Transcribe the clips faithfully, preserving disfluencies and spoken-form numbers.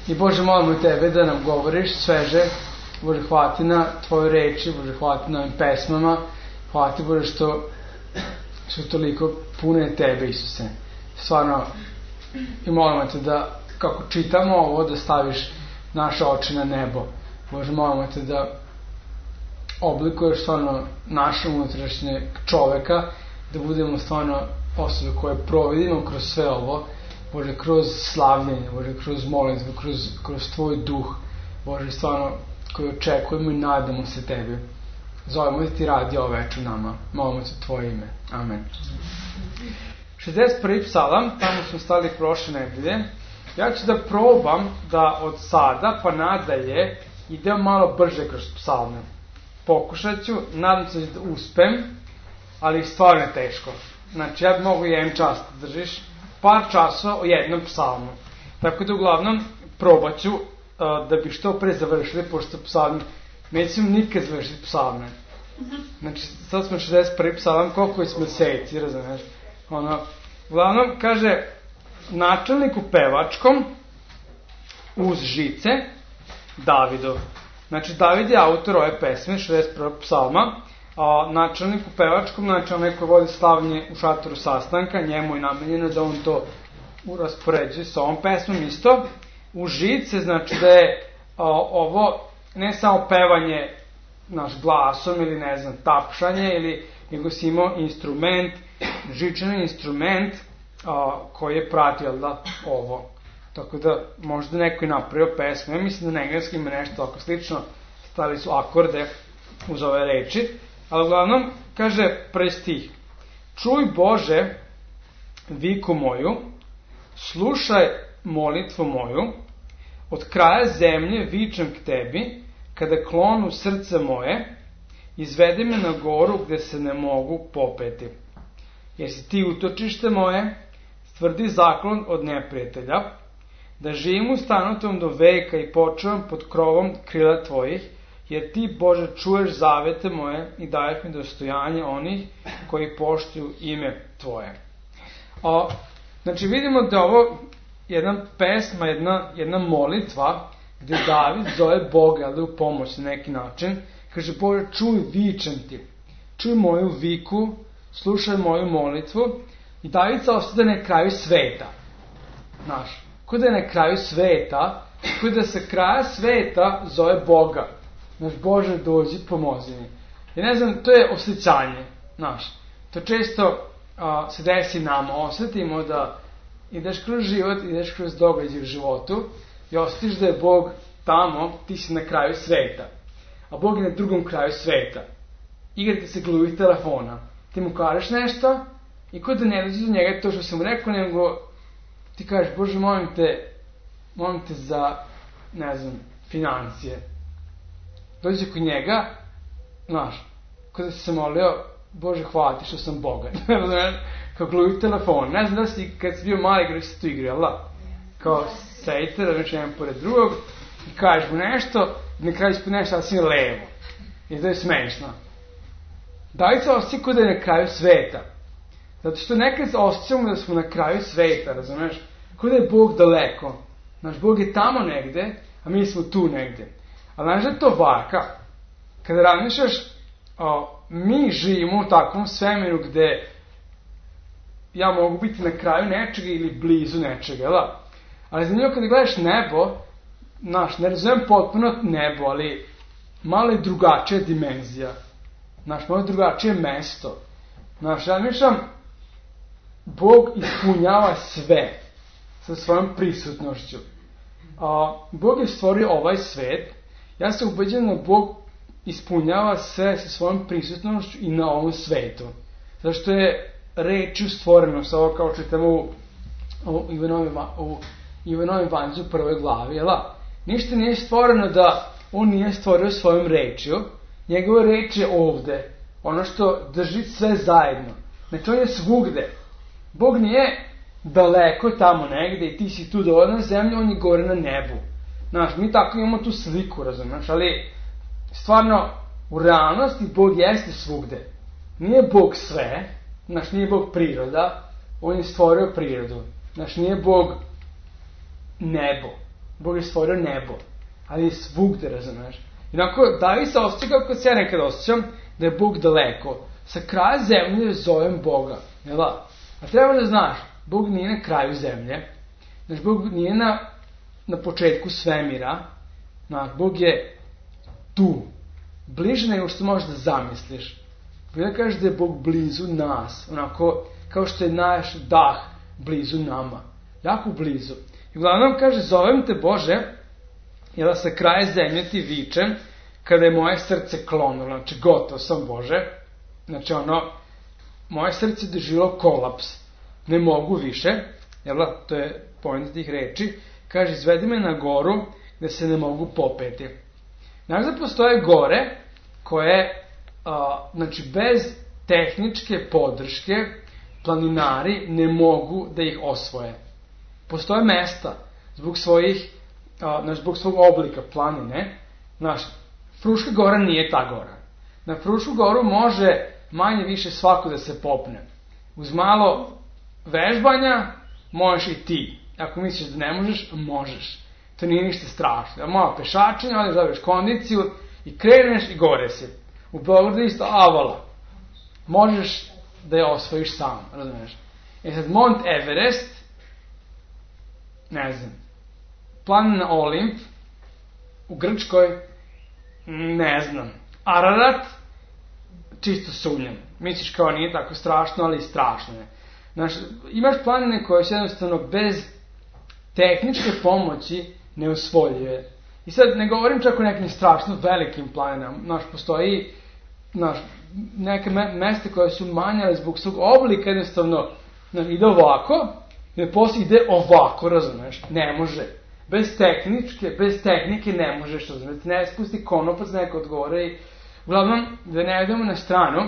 I Bože, molimo Tebe da nam govoriš sveže. Bože, hvala Ti na Tvoje reči, Bože, hvala Ti na ovim pesmama, hvala Ti, Bože, što su toliko pune Tebe, Isuse. Stvarno, i molimo Te da, kako čitamo ovo, da staviš naše oči na nebo. Bože, molimo Te da oblikuješ stvarno naše unutrašnje čoveka, da budemo stvarno osobe koje providimo kroz sve ovo, Bože, kroz slavljenje, Bože, kroz molitvu, kroz, kroz Tvoj duh, Bože, stvarno, koji očekujemo i nadamo se Tebi. Zovemo da Ti radi ovo večer nama. Molimo Te Tvoje ime. Amen. šezdeset prvi psalam, tamo smo stali prošle nedelje. Ja ću da probam da od sada pa nadalje idem malo brže kroz psalme. Pokušat ću, nadam se da uspem, ali stvarno je teško. Znači, ja mogu jedan čas da držiš par časova o jednom psalmu. Tako da, uglavnom, probat ću uh, da bi što pre završili, pošto psalmi, nećemo nikad završiti psalme. Znači, sad smo šezdeset prvi psalam, koliko smo meseci, razumiješ? Ono, uglavnom, kaže, načelniku pevačkom uz žice Davidov. Znači, David je autor ove pesme, šezdeset prvog psalma, a načelniku pevačkom, znači onaj koji vodi slavljenje u šatoru sastanka, njemu je namenjeno da on to raspoređuje sa ovom pesmom isto. U žice, znači da je a, ovo ne samo pevanje naš glasom ili ne znam, tapšanje, ili nego si imao instrument, žičani instrument a, koji je pratio da, ovo. Tako da možda neko je napravio pesmu. Ja mislim da na engleskom ima nešto tako slično. Stavili su akorde uz ove reči. Ali uglavnom, kaže prvi stih. Čuj Bože viku moju, slušaj molitvu moju, od kraja zemlje vičem k Tebi, kada klonu srce moje, izvedi me na goru gde se ne mogu popeti. Jer si Ti utočište moje, stvrdi zaklon od neprijatelja, da živim u stanu Tvom do veka i počuvam pod krovom krila Tvojih, jer Ti, Bože, čuješ zavete moje i daješ mi dostojanje onih koji poštuju ime Tvoje. O, znači, vidimo da ovo jedna pesma, jedna, jedna molitva, gde David zove Boga, ali u pomoć na neki način. Kaže, Bože, čuj, vičem Ti. Čuj moju viku, slušaj moju molitvu. I David se osjeća na kraju sveta. Znaš, ko da je na kraju sveta, ko da se kraja sveta zove Boga. Znaš, Bože, dođi, pomozi mi. I ne znam, to je osjećanje, znaš. To često a, se desi nama, osjetimo da ideš kroz život, ideš kroz događaj u životu i osjetiš da je Bog tamo, ti si na kraju sveta. A Bog je na drugom kraju sveta. Igrate se gluvi telefona. Ti mu kažeš nešto i kod da ne dođe do njega to što sam mu rekao, nego ti kažeš, Bože, molim te, molim te za, ne znam, financije. Dođe kod njega, znaš, kada si se molio, Bože, hvala Ti što sam bogat. Kao gluvi telefon. Ne znam da si, kad si bio mali, igrao si tu igri, ali da? Kao sedite, da već jedan pored drugog, i kažeš mu nešto, i na kraju ispod nešto, ali si levo. I to je smešno. David se osjeća kod da je na kraju sveta. Zato što nekad osjećamo da smo na kraju sveta, razumeš? Kod da je Bog daleko. Znaš, Bog je tamo negde, a mi smo tu negde. Ali znaš da je to varka. Kada razmišljaš, o, mi živimo u takvom svemiru gde ja mogu biti na kraju nečega ili blizu nečega, da? Ali zanimljivo kada gledaš nebo, znaš, ne razumijem potpuno nebo, ali malo je drugačija dimenzija. Znaš, malo je drugačije mesto. Znaš, ja mišljam, Bog ispunjava sve sa svojom prisutnošću. A, Bog je stvorio ovaj svet. Ja se ubeđujem da Bog ispunjava sve sa svojom prisutnošću i na ovom svetu. Zašto je rečju stvoreno, sa ovo kao čitamo u, u Ivanovim evanđelju u prvoj glavi, jel? Ništa nije stvoreno da on nije stvorio svojom rečju, njegova reč je ovde, ono što drži sve zajedno. Znači on je svugde. Bog nije daleko tamo negde i ti si tu dole na zemlji, on je gore na nebu. Znaš, mi tako imamo tu sliku, razumiješ, ali stvarno u realnosti Bog jeste svugde. Nije Bog sve, znaš, nije Bog priroda, on je stvorio prirodu. Znaš, nije Bog nebo. Bog je stvorio nebo, ali je svugde, razumeš. Inako, David se osjeća kako se ja nekada osjećam, da je Bog daleko. Sa kraja zemlje zovem Boga, jel da? A treba da znaš, Bog nije na kraju zemlje, znaš, Bog nije na, na početku svemira, znaš, Bog je tu, bliže nego što možeš da zamisliš. Bila kaže da je Bog blizu nas, onako, kao što je naš dah blizu nama, jako blizu. I uglavnom kaže, zovem te Bože, jer sa kraja zemlje ti vičem, kada je moje srce klonulo, znači gotov sam Bože, znači ono, moje srce je doživjelo kolaps, ne mogu više, jel da, to je point tih reči, kaže, izvedi me na goru gde se ne mogu popeti. Znaš da postoje gore koje, a, znači bez tehničke podrške planinari ne mogu da ih osvoje. Postoje mesta zbog svojih, a, znači zbog svog oblika planine, znaš, Fruška gora nije ta gora. Na Frušku goru može manje više svako da se popne. Uz malo vežbanja možeš i ti. Ako misliš da ne možeš, možeš. To nije ništa strašno. Malo pešačenja, ali dobiješ kondiciju i kreneš i gore si. U Beogradu isto avala. Možeš da je osvojiš sam, razumiješ. E sad, Mont Everest, ne znam, planina Olimp, u Grčkoj, ne znam, Ararat, čisto sumnjam. Misliš kao nije tako strašno, ali strašno je. Znaš, imaš planine koje su jednostavno bez tehničke pomoći neusvoljive. I sad ne govorim čak o nekim strašno velikim planinama. Znaš, postoji znaš, neke me, meste koje su manjale zbog svog oblika, jednostavno znaš, ide ovako, i posle ide ovako, razumeš, ne može. Bez tehničke, bez tehnike ne možeš, razumeš, ne spusti konopac neko odgovore i uglavnom, da ne idemo na stranu,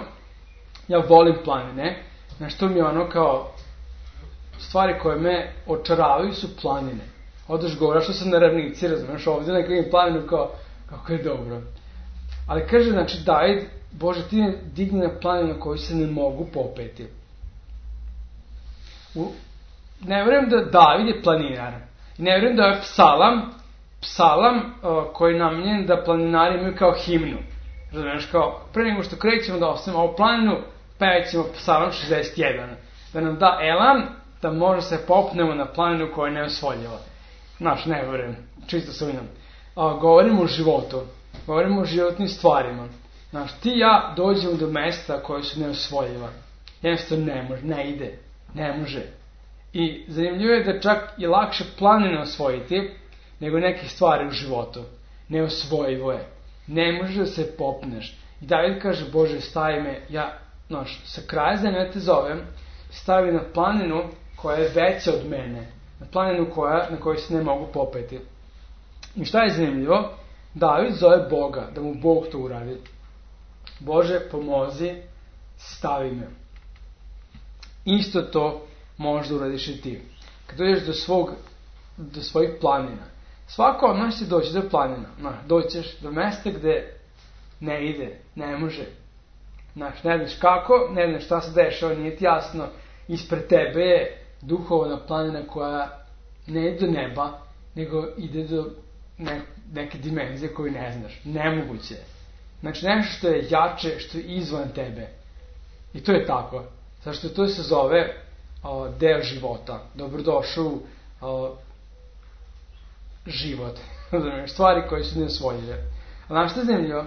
ja volim planine, znaš, to mi je ono kao stvari koje me očaravaju su planine. Odeš govora što sam na ravnici, razumeš, ovdje na kakvim planinu kao, kako je dobro. Ali kaže, znači, David, Bože, ti me digni na planinu na koju se ne mogu popeti. U, ne vjerujem da David je planinar. Ne vjerujem da je psalam, psalam uh, koji je namenjen da planinari imaju kao himnu. Razumiješ, kao, pre nego što krećemo da ostavimo ovu planinu, pevat ćemo psalam šezdeset jedan. Da nam da elan, da može se popnemo na planinu koja je neosvoljava. Znaš, ne vjerujem, čisto sumnjam. Uh, govorimo o životu, govorimo o životnim stvarima. Znaš, ti i ja dođemo do mesta koje su neosvojiva. Jednostavno ne može, ne ide, ne može. I zanimljivo je da čak i lakše planine osvojiti nego neke stvari u životu. Neosvojivo je. Ne možeš da se popneš. I David kaže, Bože, stavi me, ja, znaš, sa kraja zemlje te zovem, stavi na planinu koja je veća od mene. Na planinu koja, na kojoj se ne mogu popeti. I šta je zanimljivo? David zove Boga, da mu Bog to uradi. Bože, pomozi, stavi me. Isto to možeš da uradiš i ti. Kad dođeš do svog, do svojih planina. Svako od nas će doći do planina. No, doćeš do mesta gde ne ide, ne može. Znaš, ne znaš kako, ne znaš šta se dešava, nije ti jasno. Ispred tebe je duhovna planina koja ne ide do neba, nego ide do ne, neke dimenzije koju ne znaš. Nemoguće je. Znači, nešto što je jače, što je izvan tebe. I to je tako. Zašto to se zove o, deo života. Dobrodošao u život. Stvari koje su neosvojive. A znaš što je zanimljivo?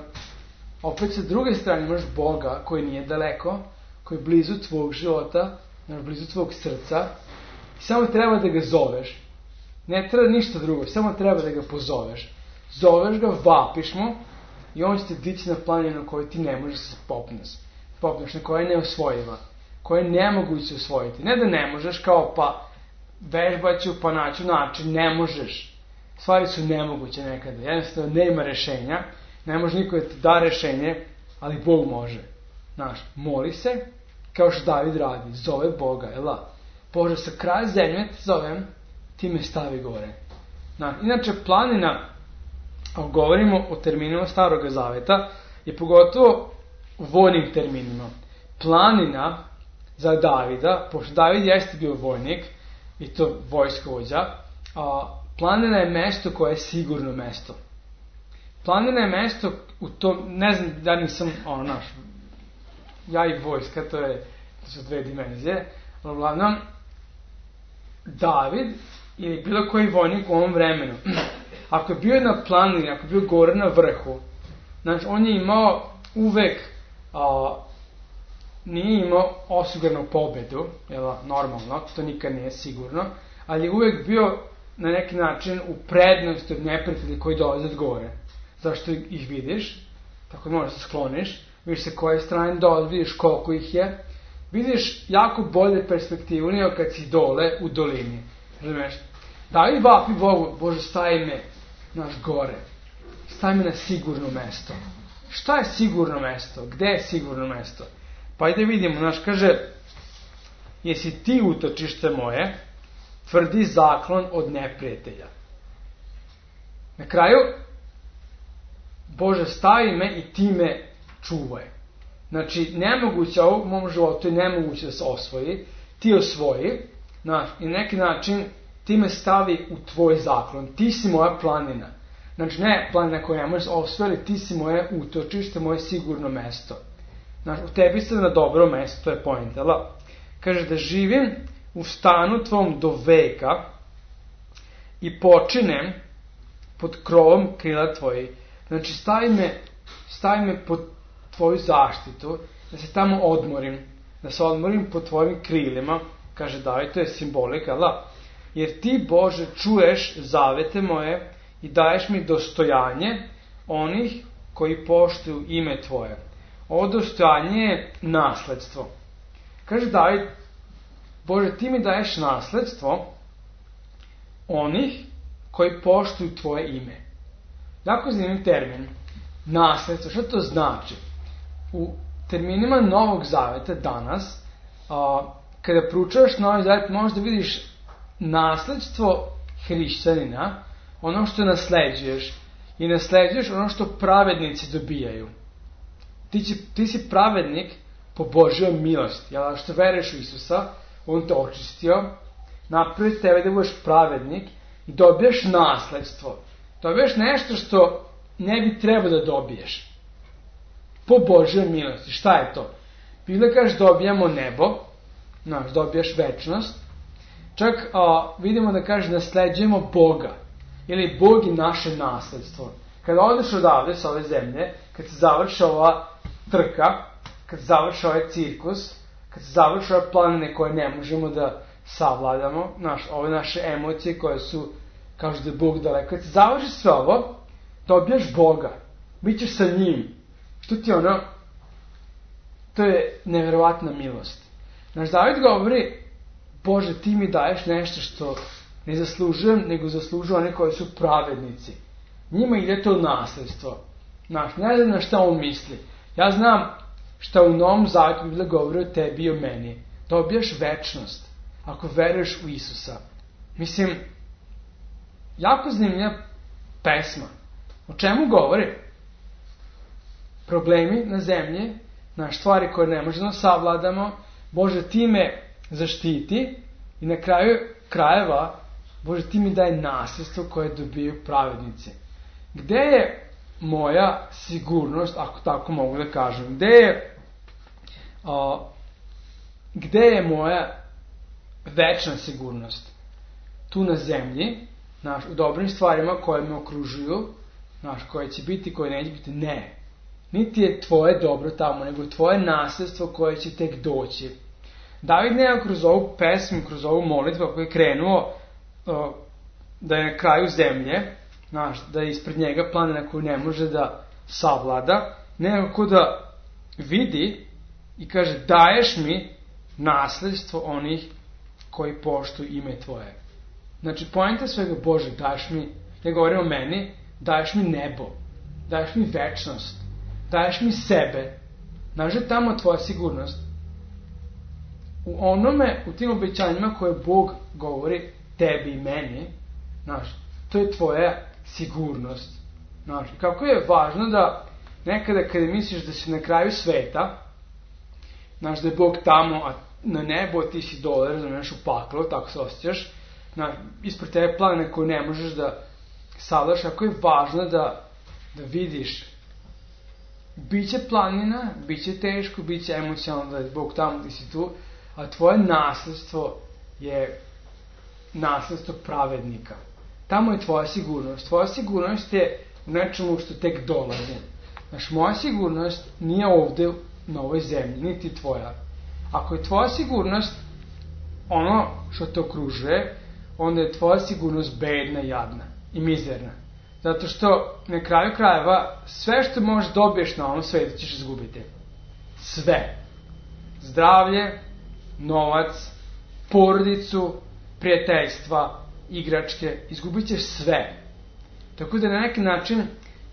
Opet sa druge strane imaš Boga koji nije daleko, koji je blizu tvog života, blizu tvog srca. I samo treba da ga zoveš. Ne treba ništa drugo, samo treba da ga pozoveš. Zoveš ga, vapiš mu i on će te dići na planinu na kojoj ti ne možeš se popneš. Popneš, na koja je neosvojiva. Koja je nemoguće osvojiti. Ne da ne možeš, kao pa vežbaću, pa naću način, ne možeš. Stvari su nemoguće nekada. Jednostavno nema rešenja. Ne može niko da ti da rešenje, ali Bog može. Znaš, moli se, kao što David radi. Zove Boga, jel da? Bože, sa kraja zemlje te zovem, ti me stavi gore. Znaš, inače, planina, ako govorimo o terminima Starog Zaveta, je pogotovo u vojnim terminima. Planina za Davida, pošto David jeste bio vojnik, i to vojskovođa, a planina je mesto koje je sigurno mesto. Planina je mesto u tom, ne znam da nisam, ono, naš, ja i vojska, to je, to su dve dimenzije, ali uglavnom, David ili bilo koji vojnik u ovom vremenu, ako je bio na planini, ako je bio gore na vrhu, znači on je imao uvek, a, nije imao osigurnu pobedu, jel, normalno, to nikad nije sigurno, ali je uvek bio na neki način u prednosti od neprijatelja koji dolaze od gore. Zašto ih vidiš? Tako da možeš se skloniš, vidiš se koje strane dolaze, vidiš koliko ih je, vidiš jako bolje perspektivu nego kad si dole u dolini. Razumeš? David vapi Bogu, Bože, stavi me naš gore, stavi me na sigurno mesto. Šta je sigurno mesto? Gde je sigurno mesto? Pa ajde vidimo, znaš, kaže, jesi ti utočište moje, tvrdi zaklon od neprijatelja. Na kraju, Bože, stavi me i ti me čuvaj. Znači, nemoguće ovo u mom životu je nemoguće da se osvoji, ti osvoji, znaš, i na neki način ti me stavi u tvoj zaklon, ti si moja planina. Znači, ne planina koja ne možeš osvojiti, ti si moje utočište, moje sigurno mesto. Znači, u tebi sam na dobro mesto, to je point, jel? Kaže da živim u stanu tvom do veka i počinem pod krovom krila tvoji. Znači, stavi me, stavi me pod tvoju zaštitu, da se tamo odmorim, da se odmorim pod tvojim krilima, kaže David, to je simbolika, jel? Jer ti, Bože, čuješ zavete moje i daješ mi dostojanje onih koji poštuju ime tvoje. Ovo dostojanje je nasledstvo. Kaže David, Bože, ti mi daješ nasledstvo onih koji poštuju tvoje ime. Jako zanimljiv termin. Nasledstvo, što to znači? U terminima Novog Zaveta danas, a, kada proučavaš Novi Zavet, možeš da vidiš nasledstvo hrišćanina, ono što nasleđuješ, i nasleđuješ ono što pravednici dobijaju. Ti, će, ti si pravednik po Božjoj milosti, jel? Što veruješ u Isusa, on te očistio, napravi tebe da budeš pravednik i dobijaš nasledstvo. Dobijaš nešto što ne bi trebao da dobiješ. Po Božjoj milosti. Šta je to? Biblia kaže dobijamo nebo, znaš, dobijaš večnost. Čak a, vidimo da kaže nasleđujemo Boga. Ili Bog je naše nasledstvo. Kada odeš odavde sa ove zemlje, kad se završi ova trka, kad se završi ovaj cirkus, kad se završi ove planine koje ne možemo da savladamo, naš, ove naše emocije koje su, kažu da je Bog daleko, kad se završi sve ovo, dobijaš Boga, bit ćeš sa njim. Što ti ono, to je neverovatna milost. Naš David govori, Bože, ti mi daješ nešto što ne zaslužujem, nego zaslužuju one koji su pravednici. Njima ide to nasledstvo. Znaš, ne znam na šta on misli. Ja znam šta u Novom Zavetu Biblia govori o tebi i o meni. Dobijaš večnost ako veruješ u Isusa. Mislim, jako zanimljiva pesma. O čemu govori? Problemi na zemlji, naš stvari koje ne možemo da savladamo, Bože, ti me zaštiti i na kraju krajeva, Bože, ti mi daj nasljedstvo koje dobiju pravednici. Gde je moja sigurnost, ako tako mogu da kažem? Gde je, a, gde je moja večna sigurnost? Tu na zemlji, naš, u dobrim stvarima koje me okružuju, naš, koje će biti, koje neće biti, ne. Niti je tvoje dobro tamo, nego tvoje nasljedstvo koje će tek doći. David nema kroz ovu pesmu, kroz ovu molitvu, ako je krenuo o, da je na kraju zemlje, znaš, da je ispred njega planina koju ne može da savlada, nego da vidi i kaže, daješ mi nasljedstvo onih koji poštuju ime tvoje. Znači, poenta svega, Bože, daješ mi, ne govorim o meni, daješ mi nebo, daješ mi večnost, daješ mi sebe, znaš, je tamo tvoja sigurnost. U onome, u tim obećanjima koje Bog govori tebi i meni, znaš, to je tvoja sigurnost. Znaš, kako je važno da nekada kada misliš da si na kraju sveta, znaš, da je Bog tamo, a na nebo ti si dole, razumiješ, u paklu, tako se osjećaš, na, ispred tebe planine koje ne možeš da savladaš, ako je važno da, da vidiš, biće planina, biće teško, biće emocionalno da je Bog tamo gdje si tu, a tvoje nasledstvo je nasledstvo pravednika. Tamo je tvoja sigurnost. Tvoja sigurnost je u nečemu što tek dolazi. Znaš, moja sigurnost nije ovde na ovoj zemlji, niti tvoja. Ako je tvoja sigurnost ono što te okružuje, onda je tvoja sigurnost bedna, jadna i mizerna. Zato što na kraju krajeva sve što možeš dobiješ na ovom svijetu ćeš izgubiti. Sve. Zdravlje, novac, porodicu, prijateljstva, igračke, izgubit ćeš sve. Tako da na neki način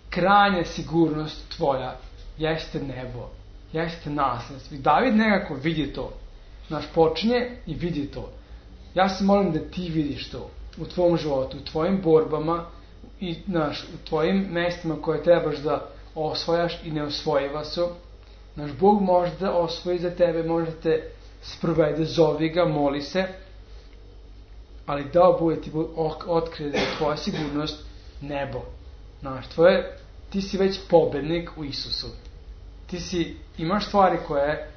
krajnja sigurnost tvoja jeste nebo, jeste nasledstvo. I David nekako vidi to. Znaš, počinje i vidi to. Ja se molim da ti vidiš to u tvom životu, u tvojim borbama i znaš, u tvojim mestima koje trebaš da osvojaš i ne osvojiva su. Naš Bog može da osvoji za tebe, može da te sprovede, zovi ga, moli se, ali dao bude ti otkrije da je tvoja sigurnost nebo. Znaš, tvoje, ti si već pobednik u Isusu. Ti si, imaš stvari koje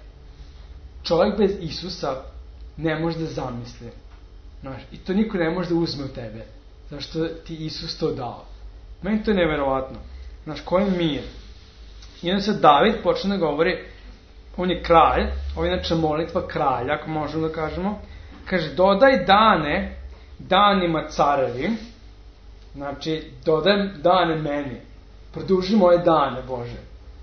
čovjek bez Isusa ne može da zamisli. Znaš, i to niko ne može da uzme od tebe. Zašto ti Isus to dao. Meni to je neverovatno. Znaš, koji mir. I onda se David počne da govori, on je kralj, ovo je inače molitva kralja, ako možemo da kažemo. Kaže, dodaj dane danima carevi, znači, dodaj dane meni. Produži moje dane, Bože.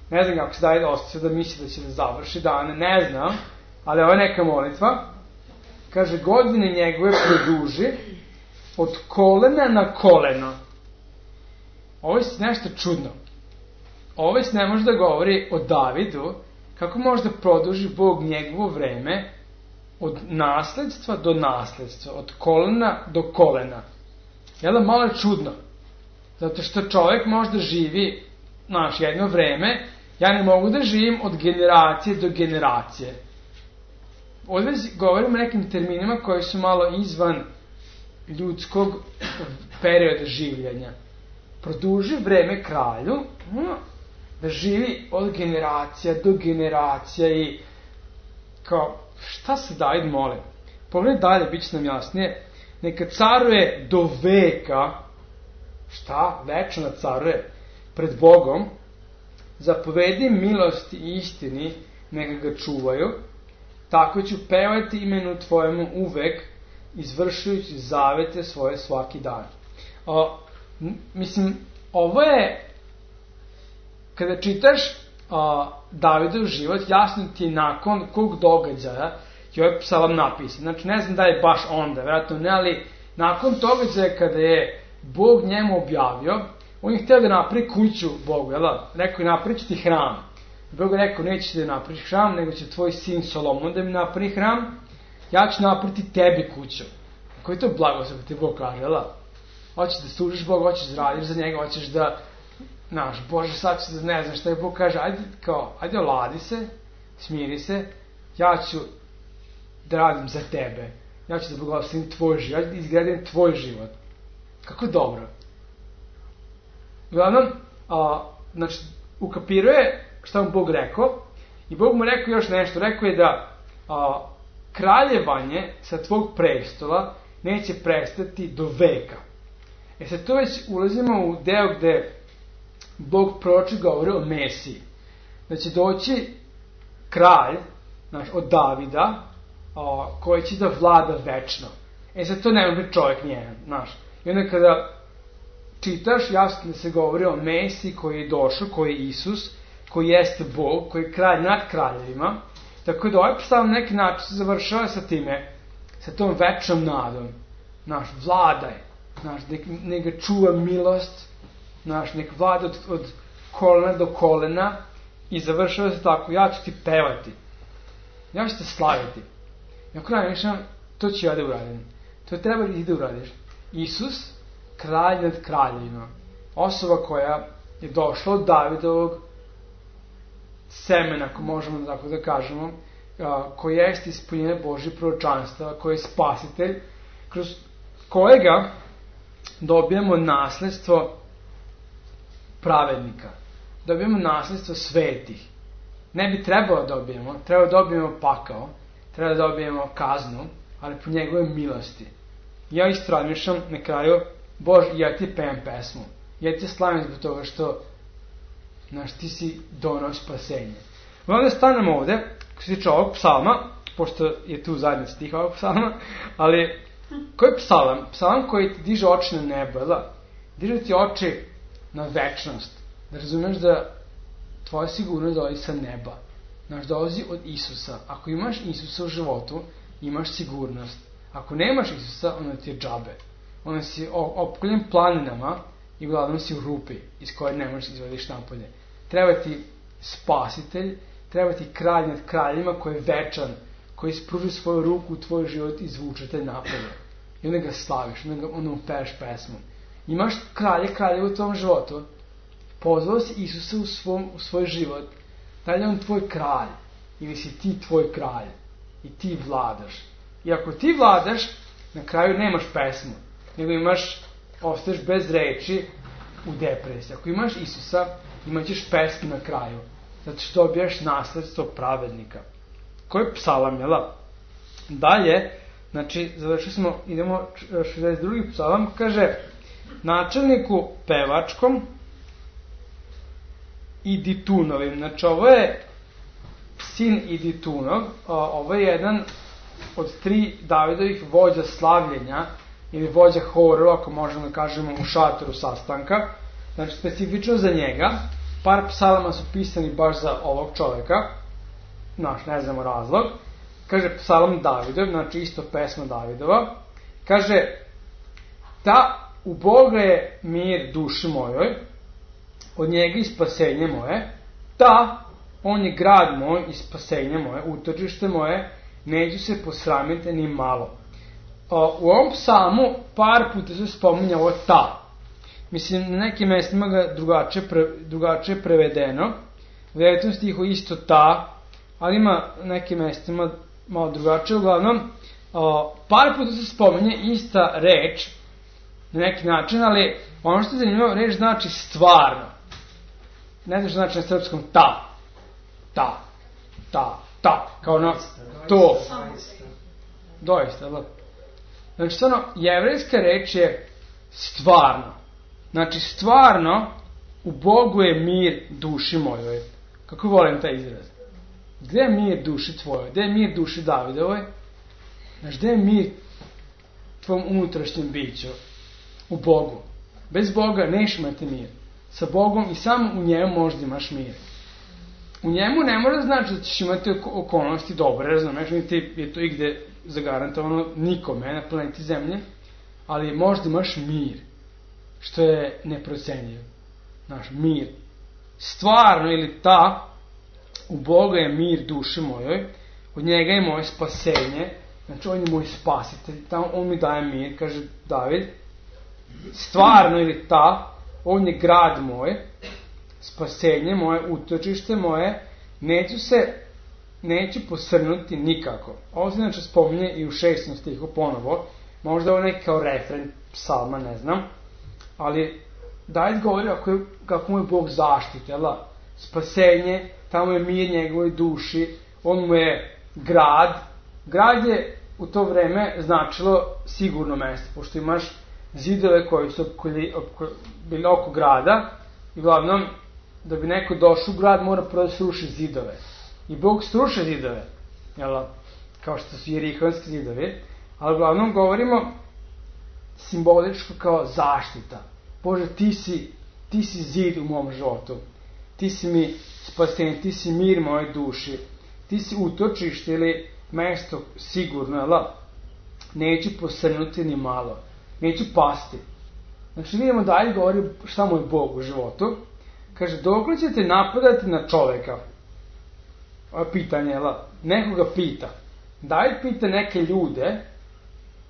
Ne znam kako se David osjeća da misli da će da završi dane, ne znam, ali ovo je neka molitva. Kaže, godine njegove produži od kolena na koleno. Ovo je nešto čudno. Ovo se ne može da govori o Davidu, kako može da produži Bog njegovo vreme od nasledstva do nasledstva, od kolena do kolena. Jel da malo je čudno? Zato što čovjek može da živi, znaš, jedno vreme, ja ne mogu da živim od generacije do generacije. Ovdje govorimo o nekim terminima koji su malo izvan ljudskog perioda življenja. Produži vreme kralju, da živi od generacija do generacija i kao, šta se David moli? Pogledaj dalje, bit će nam jasnije. Neka caruje do veka, šta? Večno caruje pred Bogom, zapovedi milosti i istini, neka ga čuvaju, tako ću pevati imenu tvojemu uvek, izvršujući zavete svoje svaki dan. O, mislim, ovo je, kada čitaš o, Davidov život, jasno ti je nakon kog događaja je ovaj psalam napisan. Znači, ne znam da je baš onda, vjerojatno ne, ali nakon događaja kada je Bog njemu objavio, on je htio da napravi kuću Bogu, jel da? Rekao je, napravit ću ti hram. Bog je rekao, nećeš da napraviš hram, nego će tvoj sin Solomon da mi napravi hram, ja ću napraviti tebi kuću. Koji je to blagoslov ti Bog kaže, jel da? Hoćeš da služiš Bogu, hoćeš da radiš za njega, hoćeš da, znaš, Bože, sad ću da ne znam šta je Bog kaže, ajde, kao, ajde oladi se, smiri se, ja ću da radim za tebe, ja ću da blagoslovim tvoj život, ja ću da izgradim tvoj život. Kako dobro. Uglavnom, a, znači, ukapiruje šta mu Bog rekao, i Bog mu rekao još nešto, rekao je da a, kraljevanje sa tvog prestola neće prestati do veka. E sad to već ulazimo u deo gde Bog proroči govori o Mesiji. Da će doći kralj, znaš, od Davida, a, koji će da vlada večno. E sad to ne može čovjek nijedan, znaš. I onda kada čitaš, jasno da se govori o Mesiji koji je došao, koji je Isus, koji jeste Bog, koji je kralj nad kraljevima. Tako da ovaj psalam neki način se završava sa time, sa tom večnom nadom. Znaš, vladaj, znaš, nek, nek ga čuva milost, znaš, nek vlada od, od kolena do kolena i završava se tako, ja ću ti pevati, ja ću te slaviti. I ako radišam, to ću ja da uradim. To treba i da uradiš. Isus, kralj nad kraljevima, osoba koja je došla od Davidovog semena, ako možemo tako da kažemo, koji jeste ispunjenje Božje proročanstva, koji je spasitelj, kroz kojega dobijemo nasledstvo pravednika. Dobijemo nasledstvo svetih. Ne bi trebalo da dobijemo, treba da dobijemo pakao, treba da dobijemo kaznu, ali po njegove milosti. Ja isto razmišljam na kraju, Bože, ja ti pevam pesmu. Ja ti slavim zbog toga što, znaš, ti si donao spasenje. Onda stanemo ovde, ko se tiče ovog psalma, pošto je tu zadnji stih ovog psalma, ali koji je psalam? Psalam koji ti diže oči na nebo, da? Diže ti oči na večnost. Da razumeš da tvoja sigurnost dolazi sa neba. Znaš, dolazi od Isusa. Ako imaš Isusa u životu, imaš sigurnost. Ako nemaš Isusa, onda ti je džabe. Onda si opkoljen planinama i uglavnom si u rupi iz koje ne možeš izvodiš napolje. Treba ti spasitelj, treba ti kralj nad kraljima koji je večan, koji spruži svoju ruku u tvoj život i izvuče te napolje. I onda ga slaviš, onda, ga, onda mu peveš pesmu. Imaš kralje, kralje u tvom životu, pozvao si Isusa u, svom, u svoj život, da li je on tvoj kralj, ili si ti tvoj kralj, i ti vladaš. I ako ti vladaš, na kraju nemaš pesmu, nego imaš, ostaješ bez reči u depresiji. Ako imaš Isusa, imat ćeš pesmu na kraju, zato što dobijaš nasledstvo pravednika. Koji je psalam, jel da? Dalje, znači, završili smo, idemo šezdeset drugi psalam, kaže, načelniku pevačkom i Ditunovim. Znači, ovo je sin Iditunov, ovo je jedan od tri Davidovih vođa slavljenja, ili vođa horova, ako možemo da kažemo, u šatoru sastanka. Znači, specifično za njega, par psalama su pisani baš za ovog čoveka, naš, ne znamo razlog. Kaže psalam Davidov, znači isto pesma Davidova. Kaže, ta u Boga je mir duši mojoj, od njega i spasenje moje, ta, on je grad moj i spasenje moje, utočište moje, neću se posramiti ni malo. O, u ovom psalmu par puta se spominja ovo ta. Mislim, na nekim mjestima ga drugačije, pre, drugačije prevedeno. U devetom stihu isto ta, ali ima nekim mjestima malo drugačije. Uglavnom, o, par puta se spominje ista reč, na neki način, ali ono što je zanimljivo, reč znači stvarno. Ne znam što znači na srpskom ta. Ta. Ta. Ta. Kao ono to. Doista, da. Znači, stvarno, jevrejska reč je stvarno. Znači, stvarno, u Bogu je mir duši mojoj. Kako volim taj izraz? Gde je mir duši tvojoj? Gde je mir duši Davidovoj? Znači, gde je mir tvom unutrašnjem biću? U Bogu. Bez Boga neš imati mir. Sa Bogom i samo u njemu možda imaš mir. U njemu ne mora znači da ćeš imati okolnosti dobre, razumeš, niti je to igde zagarantovano nikome na planeti Zemlje, ali možda imaš mir, što je neprocenjivo. Znaš, mir. Stvarno ili ta, u Boga je mir duši mojoj, od njega je moje spasenje, znači on je moj spasitelj, tamo on mi daje mir, kaže David. Stvarno ili ta, on je grad moj, spasenje moje, utočište moje, neću se, neću posrnuti nikako. Ovo se znači spominje i u šestom stihu ponovo, možda ovo neki kao refren psalma, ne znam, ali David govori kako, je, kako mu je Bog zaštite, jela? Spasenje, tamo je mir njegovoj duši, on mu je grad. Grad je u to vreme značilo sigurno mesto, pošto imaš zidove koji su opkoli, opko, bili oko grada i uglavnom da bi neko došao u grad mora prvo da sruši zidove. I Bog sruši zidove, jel, kao što su jerihonski zidovi, ali uglavnom govorimo simboličko kao zaštita. Bože, ti si, ti si zid u mom životu, ti si mi spasenje, ti si mir moje duši, ti si utočište ili mesto sigurno, jel, neću posrnuti ni malo, neću pasti. Znači vidimo dalje govori šta mu je Bog u životu. Kaže, dokle ćete napadati na čoveka? Ovo je pitanje, jel? Nekoga pita. David pita neke ljude,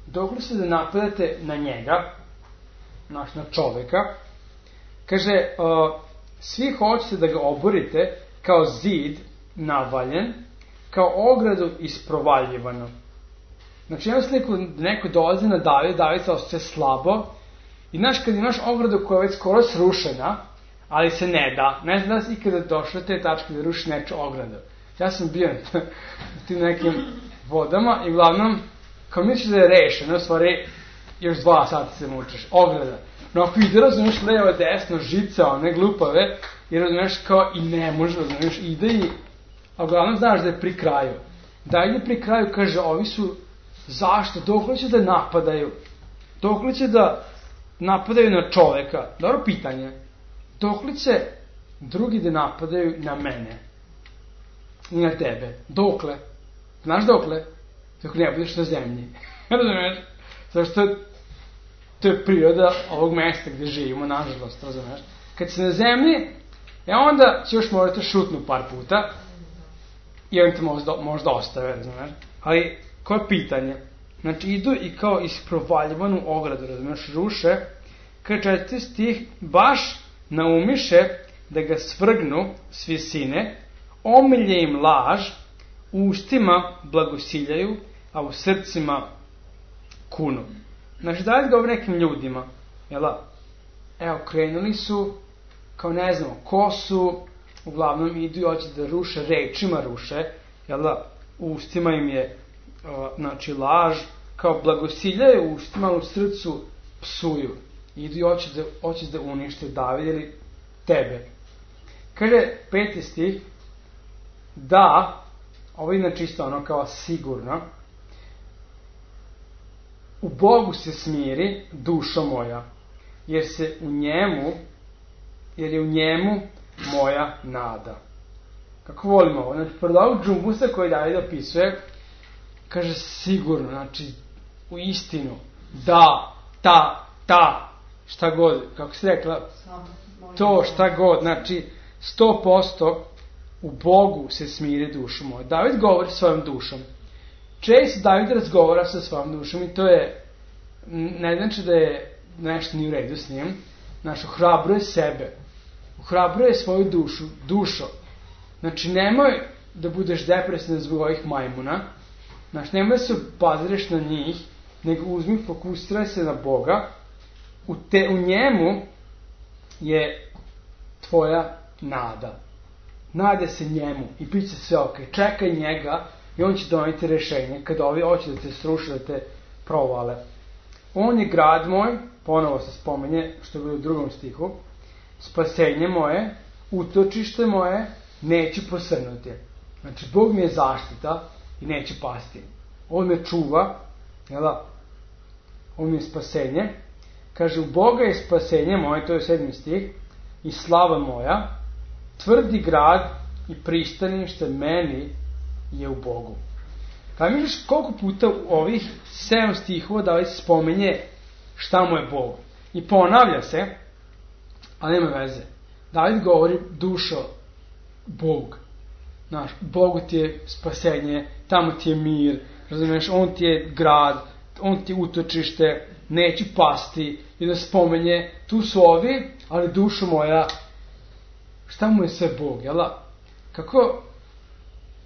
dokle ćete da napadate na njega, naš, na čoveka. Kaže, uh, svi hoćete da ga oborite kao zid navaljen, kao ogradu isprovaljivano. Znači, imam sliku da neko dolazi na David, David se osjeća slabo, i znaš, kad imaš ogradu koja je već skoro srušena, ali se ne da, ne znam da si ikada došao te tačke da ruši neču ogradu. Ja sam bio na tim nekim vodama i uglavnom, kao misliš da je rešeno, u stvari, još dva sata se mučeš, ograda. No, ako ide, razumiješ, levo, desno, žice, one glupave, i razumiješ, kao i ne može, razumiješ, ide i, a uglavnom znaš da je pri kraju. Da ide pri kraju, kaže, ovi su, zašto, dokle će da napadaju, dokle će da napadaju na čoveka, dobro pitanje, dokle će drugi da napadaju na mene i na tebe, dokle, znaš dokle, dok ne budeš na zemlji, razumiješ, zašto to je priroda ovog mesta gde živimo, nažalost, razumiješ, kad si na zemlji, e onda će još morati šutnu par puta i on te možda, možda ostave, razumiješ, ali koje je pitanje, znači idu i kao isprovaljivanu ogradu, razumiješ, ruše, kad četvrti stih, baš naumiše da ga svrgnu s visine, omilje im laž, u ustima blagosiljaju, a u srcima kunu. Znači, da li govori nekim ljudima, jela, evo, krenuli su, kao ne znamo, ko su, uglavnom idu i hoće da ruše, rečima ruše, jela, u ustima im je, o, znači, laž, kao blagosiljaju u ustima, u srcu psuju. Idu i hoće da, hoće da unište David ili tebe. Kaže, peti stih, da, ovo je čisto ono kao sigurno, u Bogu se smiri dušo moja, jer se u njemu, jer je u njemu moja nada. Kako volimo ovo? Znači, pored ovog džumbusa koji David opisuje, kaže sigurno, znači, u istinu, da, ta, ta, šta god, kako si rekla, to, šta god, znači, sto posto u Bogu se smiri dušo moja. David govori svojom dušom. Često David razgovara sa svojom dušom i to je, ne znači da je nešto nije u redu s njim, znači, ohrabruje sebe, ohrabruje svoju dušu, dušo. Znači, nemoj da budeš depresivan zbog ovih majmuna, znači, nemoj da se obazireš na njih, nego uzmi, fokusiraj se na Boga, u, te, u njemu je tvoja nada. Nade se njemu i bit će sve ok. Čekaj njega i on će doneti rešenje kada ovi hoće da te sruši, da te provale. On je grad moj, ponovo se spomenje, što je bilo u drugom stihu, spasenje moje, utočište moje, neću posrnuti. Znači, Bog mi je zaštita i neće pasti. On me čuva, jela, on mi je spasenje. Kaže, u Boga je spasenje moje, to je sedmi stih, i slava moja, tvrdi grad i pristanište meni je u Bogu. Kada misliš koliko puta u ovih sedam stihova da li se spomenje šta mu je Bog. I ponavlja se, ali nema veze. David govori dušo Bog. Znaš, Bogu ti je spasenje, tamo ti je mir, razumiješ, on ti je grad, on ti je utočište, neće pasti, i da spomenje, tu su ovi, ali dušo moja, šta mu je sve Bog, jela? Kako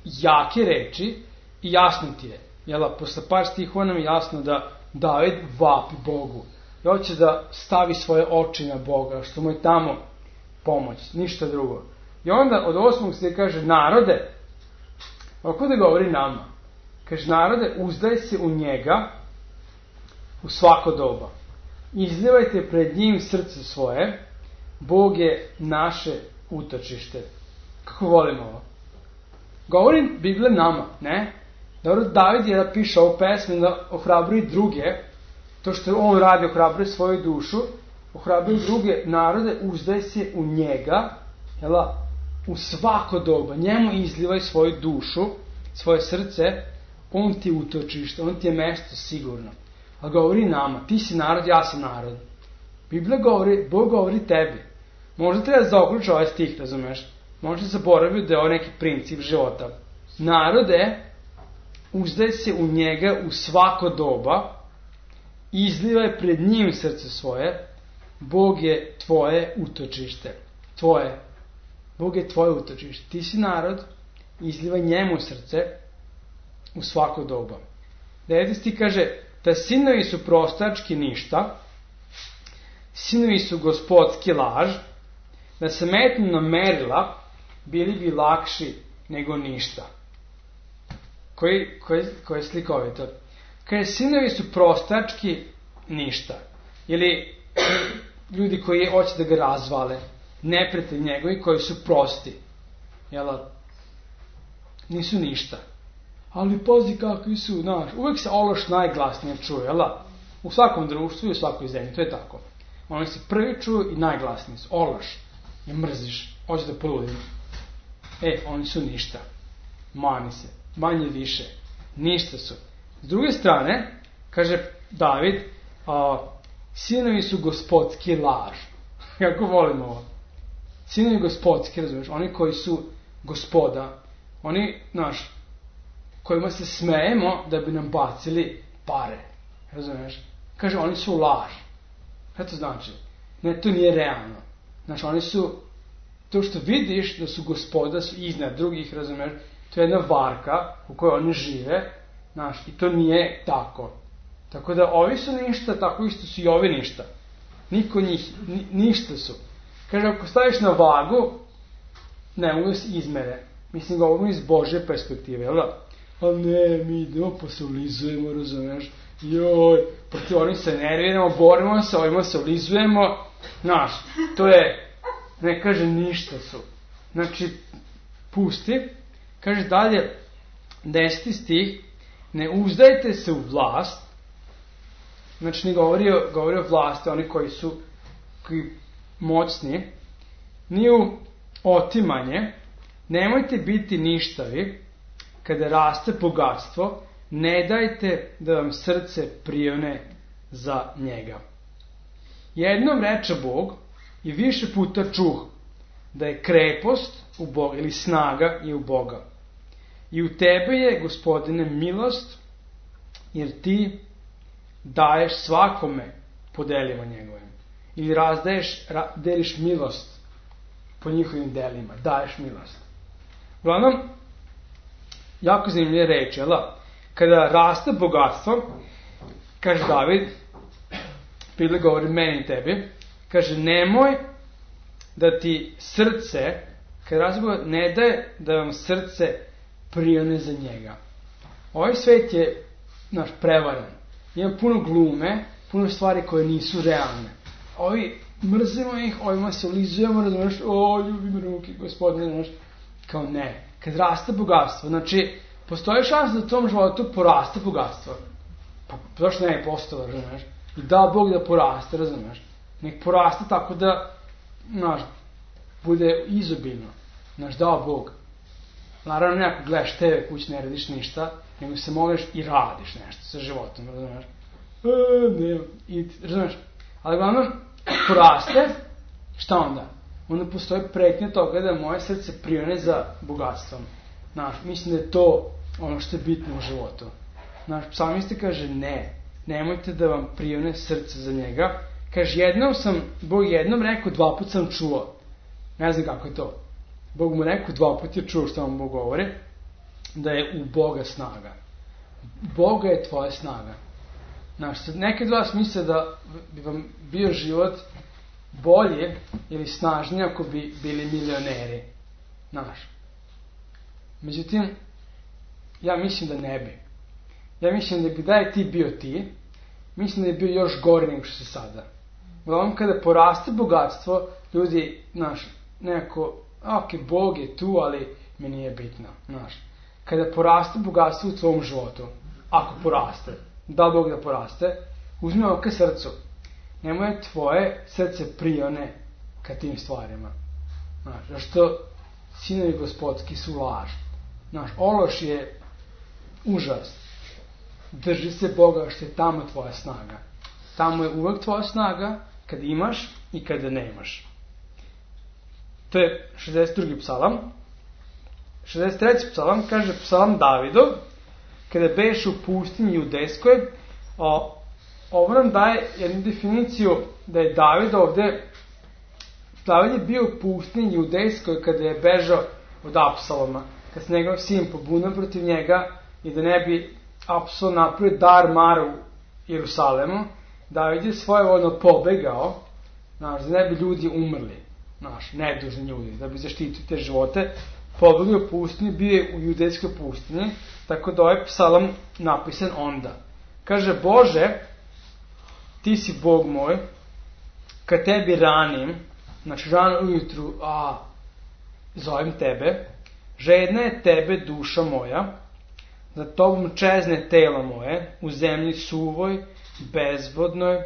jake reči i jasno ti je, jela? Posle par stihova nam je jasno da David vapi Bogu i hoće da stavi svoje oči na Boga, što mu je tamo pomoć, ništa drugo. I onda od osmog se kaže, narode, ovako da govori nama, kaže, narode, uzdaj se u njega u svako doba. Izlivajte pred njim srce svoje, Bog je naše utočište. Kako volimo ovo? Govorim Biblija nama, ne? Dobro, David je da piše ovu pesmu da ohrabruje druge, to što on radi, ohrabruje svoju dušu, ohrabruje druge narode, uzdaj se u njega, jela, u svako doba, njemu izlivaj svoju dušu, svoje srce, on ti je utočište, on ti je mesto sigurno. A govori nama, ti si narod, ja sam narod. Biblija govori, Bog govori tebi. Možda treba zaokruči ovaj stih, razumeš? Možda zaboravio da je ovo neki princip života. Narode, uzdaj se u njega u svako doba, izlivaj pred njim srce svoje, Bog je tvoje utočište. Tvoje. Bog je tvoje utočište. Ti si narod, izlivaj njemu srce u svako doba. deveti stih kaže da sinovi su prostački ništa, sinovi su gospodski laž, da se metnu na merila bili bi lakši nego ništa. Koji, koji, koji je slikovito? Kaže, sinovi su prostački ništa. Ili ljudi koji hoće da ga razvale, neprijatelji njegovi koji su prosti. Jel? Nisu ništa. Ali pazi kakvi su, znaš, uvek se ološ najglasnije čuje, jel? U svakom društvu i u svakoj zemlji, to je tako. Oni se prvi čuju i najglasniji su. Ološ. Je mrziš. Hoće da poludim. E, oni su ništa. Mani se. Manje više. Ništa su. S druge strane, kaže David, a, sinovi su gospodski laž. Kako volimo ovo. Sinovi gospodski, razumiješ, oni koji su gospoda, oni, znaš, kojima se smejemo da bi nam bacili pare. Razumiješ? Kaže, oni su laž. Šta to znači? Ne, to nije realno. Znači, oni su, to što vidiš da su gospoda, su iznad drugih, razumiješ, to je jedna varka u kojoj oni žive, znaš, i to nije tako. Tako da ovi su ništa, tako isto su i ovi ništa. Niko njih, ni, ništa su. Kaže, ako staviš na vagu, ne mogu se izmere. Mislim, govorimo iz Božje perspektive, jel da? Ali ne, mi idemo pa se ulizujemo, razumiješ? Joj, protiv onih se nerviramo, borimo se, ovima se ulizujemo. Znaš, to je, ne kaže, ništa su. Znači, pusti. Kaže dalje, deseti stih, ne uzdajte se u vlast. Znači, ne govori o, govori o vlasti, oni koji su koji moćni, ni u otimanje, nemojte biti ništavi, kada raste bogatstvo, ne dajte da vam srce prione za njega. Jednom reče Bog i više puta čuh da je krepost u Boga ili snaga je u Boga. I u tebe je, Gospodine, milost, jer ti daješ svakome po delima njegovim. Ili razdaješ, ra, deliš milost po njihovim delima. Daješ milost. Uglavnom, jako zanimljive reči, jel? Kada raste bogatstvo, kaže David, prije govori meni i tebi, kaže, nemoj da ti srce, kada raste bogatstvo, ne daje da vam srce prione za njega. Ovaj svet je, znaš, prevaran. Ima puno glume, puno stvari koje nisu realne. Ovi, mrzimo ih, ovima se ulizujemo, razumiješ, o, ljubim ruke, gospodine, znaš, kao ne. Kad raste bogatstvo, znači, postoji šansa da u tom životu poraste bogatstvo. Pa, zašto ne je postalo, razumiješ? I da Bog da poraste, razumiješ? Nek poraste tako da, znaš, bude izobilno. Znaš, dao Bog. Naravno, ne ako gledaš te ve kući, ne radiš ništa, nego se moliš i radiš nešto sa životom, razumiješ? E, ne, i, razumiješ? Ali glavno, poraste, šta onda? Onda postoji pretnja toga da moje srce prione za bogatstvom. Znaš, mislim da je to ono što je bitno u životu. Znaš, psalmista kaže ne, nemojte da vam prione srce za njega. Kaže, jednom sam, Bog jednom rekao, dva put sam čuo. Ne znam kako je to. Bog mu rekao, dva put je čuo što vam Bog govori, da je u Boga snaga. Boga je tvoja snaga. Znaš, nekad vas misle da bi vam bio život bolje ili snažnije ako bi bili milioneri. Znaš. Međutim, ja mislim da ne bi. Ja mislim da bi da je ti bio ti, mislim da je bio još gori nego što se sada. Uglavnom, kada poraste bogatstvo, ljudi, znaš, nekako, ok, Bog je tu, ali mi nije bitno, znaš. Kada poraste bogatstvo u tvom životu, ako poraste, da Bog da poraste, uzmi ovo ka srcu. Nemoj tvoje srce prione ka tim stvarima. Znaš, zašto sinovi gospodski su laž. Znaš, ološ je užas. Drži se Boga što je tamo tvoja snaga. Tamo je uvek tvoja snaga kad imaš i kada nemaš. To je šezdeset drugi psalam. šezdeset treći psalam kaže psalam Davidov, kada beše u pustinji Judejskoj, ovo nam daje jednu definiciju da je David ovde, David je bio u pustinji Judejskoj kada je bežao od Apsaloma, kad se njegov sin pobunio protiv njega i da ne bi apsolutno napravio dar mar u Jerusalemu, David je svojevoljno pobegao, znaš, da ne bi ljudi umrli, znaš, nedužni ljudi, da bi zaštitili te živote, pobegao u pustinji, bio je u judejskoj pustinji, tako da ovaj psalam napisan onda. Kaže, Bože, ti si Bog moj, kad tebi ranim, znači rano ujutru, a, zovem tebe, žedna je tebe duša moja, za tobom čezne telo moje, u zemlji suvoj, bezvodnoj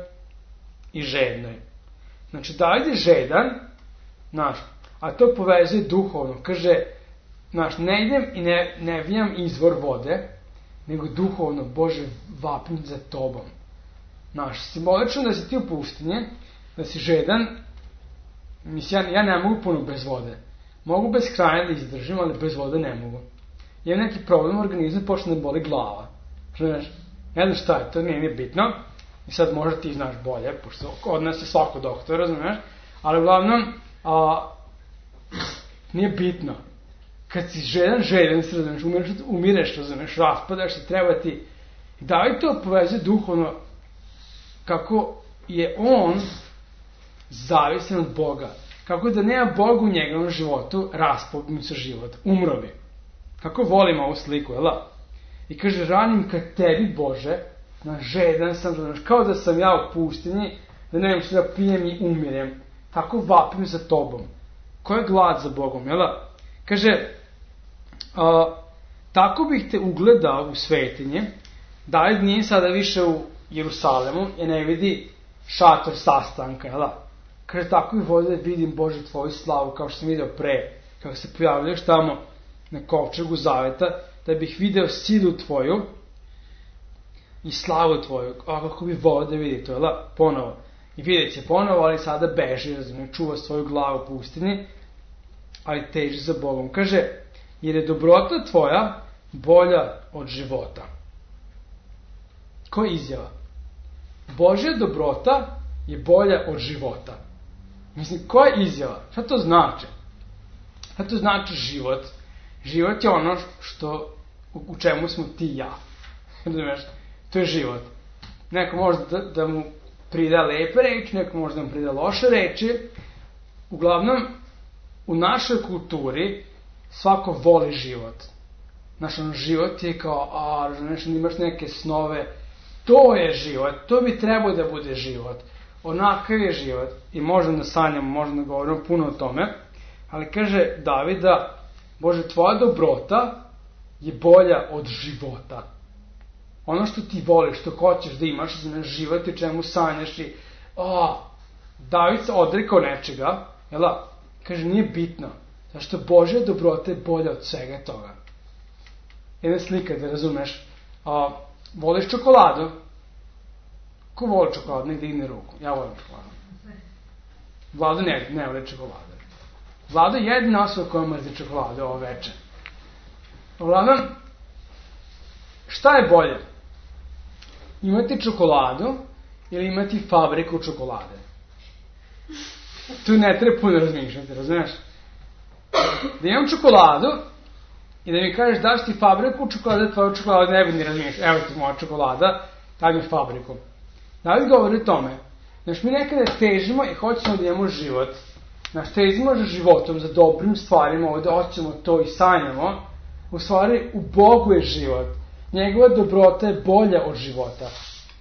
i žednoj. Znači, David je žedan, znaš, a to povezuje duhovno. Kaže, znaš, ne idem i ne, ne vijam izvor vode, nego duhovno, Bože, vapim za tobom. Znaš, simbolično da si ti u pustinji, da si žedan, mislim, ja, ja ne mogu puno bez vode. Mogu bez hrane da izdržim, ali bez vode ne mogu. Imam neki problem u organizmu, počne da boli glava. Znaš, ne znam šta je, to nije, nije bitno. I sad možda ti znaš bolje, pošto od nas je svako doktor, razumiješ? Ali uglavnom, a, nije bitno. Kad si žedan, žedan se, razumiješ, umireš, umireš, razumiješ, raspadaš se, treba ti. I David to povezuje duhovno, kako je on zavisan od Boga. Kako da nema Boga u njegovom životu, raspao mu se život, umro bi. Kako volim ovu sliku, jel da? I kaže, ranim kad tebi, Bože, na žedan sam, znaš, kao da sam ja u pustinji, da ne što da pijem i umirem. Tako vapim za tobom. Ko je glad za Bogom, jel da? Kaže, a, tako bih te ugledao u svetinje, David nije sada više u Jerusalemu i ne vidi šator sastanka, jel da? Kaže, tako bih volio da vidim, Bože, tvoju slavu, kao što sam vidio pre, kako se pojavljaš tamo na kovčegu zaveta, da bih video silu tvoju i slavu tvoju, a kako bih volio da vidi to, jel da? Ponovo. I vidjet će ponovo, ali sada beži, razumije, čuva svoju glavu u pustinji, ali teži za Bogom. Kaže, jer je dobrota tvoja bolja od života. Koja je izjava? Božja dobrota je bolja od života. Mislim, koja je izjava? Šta to znači? Šta to znači život? Život je ono što, u, u čemu smo ti i ja. Razumiješ? To je život. Neko može da, da mu prida lepe reči, neko može da mu prida loše reči. Uglavnom, u našoj kulturi svako voli život. Znaš, ono, život je kao, a, znaš, imaš neke snove, to je život, to bi trebao da bude život. Onakav je život. I možda da sanjamo, možda da govorimo puno o tome, ali kaže Davida, Bože, tvoja dobrota je bolja od života. Ono što ti voliš, što hoćeš da imaš, znaš, život je čemu sanjaš i, a, David se odrekao nečega, jel da? Kaže, nije bitno. Zašto Božja dobrota je bolja od svega toga. Jedna slika, da razumeš. A, voliš čokoladu? Ko voli čokoladu? Nek digne ruku. Ja volim čokoladu. Vlado ne, ne voli čokoladu. Vlado je jedna osoba koja mrzi čokoladu ovo večer. Uglavnom, šta je bolje? Imati čokoladu ili imati fabriku čokolade? Tu ne treba puno razmišljati, razumiješ? Da imam čokoladu i da mi kažeš daš ti fabriku čokolade, tvoju čokoladu ne bi ni razmišljati. Evo ti moja čokolada, daj mi fabriku. David govori o tome. Znaš, mi nekada težimo i hoćemo da imamo život. Znaš, težimo za životom, za dobrim stvarima, ovdje hoćemo to i sanjamo. U stvari, u Bogu je život. Njegova dobrota je bolja od života.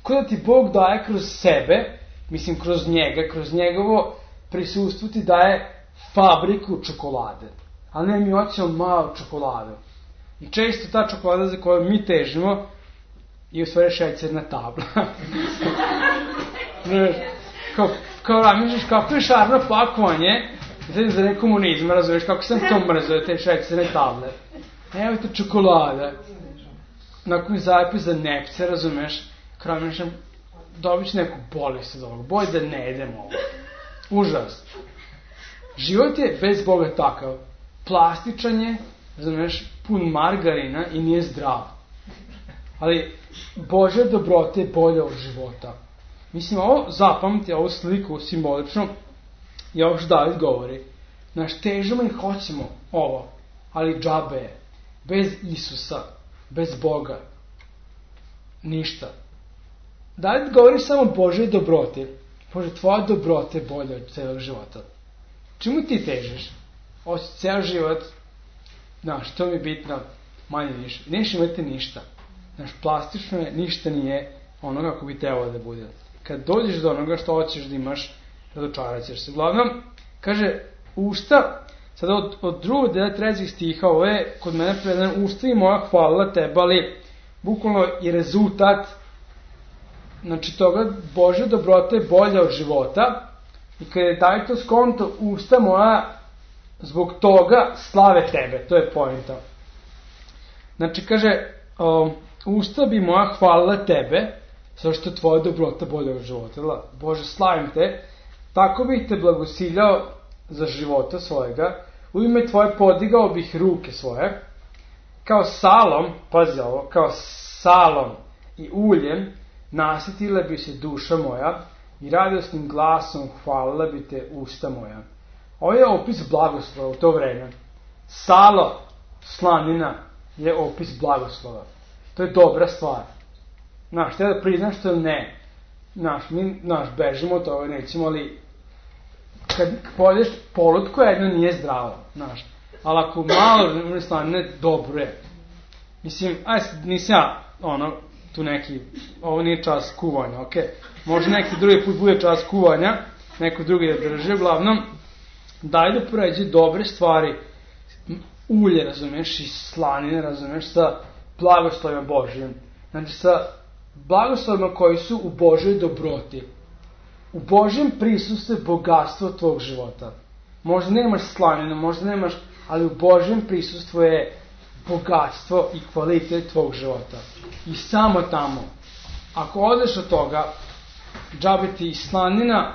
Kada ti Bog daje kroz sebe, mislim kroz njega, kroz njegovo prisustvo ti daje fabriku čokolade. Ali ne, mi hoćemo malu čokoladu. I često ta čokolada za koju mi težimo je u stvari šećerna tabla. kao, kao razmišljaš kako je šarno pakovanje za ne komunizma, razumiješ, kako sam to mrzio, te šećerne table. Evo te čokolada. Nakon mi zapis za nepce, razumiješ, kao razmišljam, dobit ću neku bolest od ovog, boj da ne jedem ovo. Užas. Život je bez Boga takav. Plastičan je, razumiješ, pun margarina i nije zdrav. Ali Božja dobrota je bolja od života. Mislim, ovo zapamti, ovu sliku simbolično, i ovo što David govori. Znaš, težimo i hoćemo ovo, ali džabe je. Bez Isusa, bez Boga. ništa. Da li govoriš samo Božoj dobroti? Bože, tvoja dobrota je bolja od celog života. Čemu ti težiš? Ovo si ceo život, znaš, to mi je bitno, manje više. Neš imati ništa. Znaš, plastično je, ništa nije ono kako bi trebalo da bude. Kad dođeš do onoga što hoćeš da imaš, razočarat ćeš se. Uglavnom, kaže, usta, sada od, od drugog dela trećeg stiha, ovo je kod mene predan, usta i moja hvala tebe, ali bukvalno je rezultat, znači toga, Božja dobrota je bolja od života, i kada je taj to skonto, usta moja zbog toga slave tebe, to je poenta. Znači, kaže, o, usta bi moja hvala tebe, zato što je tvoja dobrota bolja od života. Bože, slavim te, tako bih te blagosiljao za života svojega, u ime tvoje podigao bih ruke svoje, kao salom, pazi ovo, kao salom i uljem, nasitila bi se duša moja i radosnim glasom hvalila bi te usta moja. Ovo je opis blagoslova u to vreme. Salo, slanina, je opis blagoslova. To je dobra stvar. Znaš, te da priznaš to ne. Znaš, mi, znaš, bežimo od toga, nećemo, ali kad pojedeš polutku, jedno nije zdravo, znaš. Ali ako malo slanine, dobro je. Mislim, aj, nisam ja, ono, tu neki, ovo nije čas kuvanja, okej. Okay? Može neki drugi put bude čas kuvanja, neko drugi da drži, uglavnom, daj da poređe dobre stvari, ulje, razumeš, i slanine, razumeš, sa blagoslovima Božijom. Znači, sa blagoslovima koji su u Božoj dobroti. U Božjem prisustvu je bogatstvo tvog života. Možda nemaš slaninu, možda nemaš, ali u Božjem prisustvu je bogatstvo i kvalitet tvog života. I samo tamo. Ako odeš od toga, džabe ti i slanina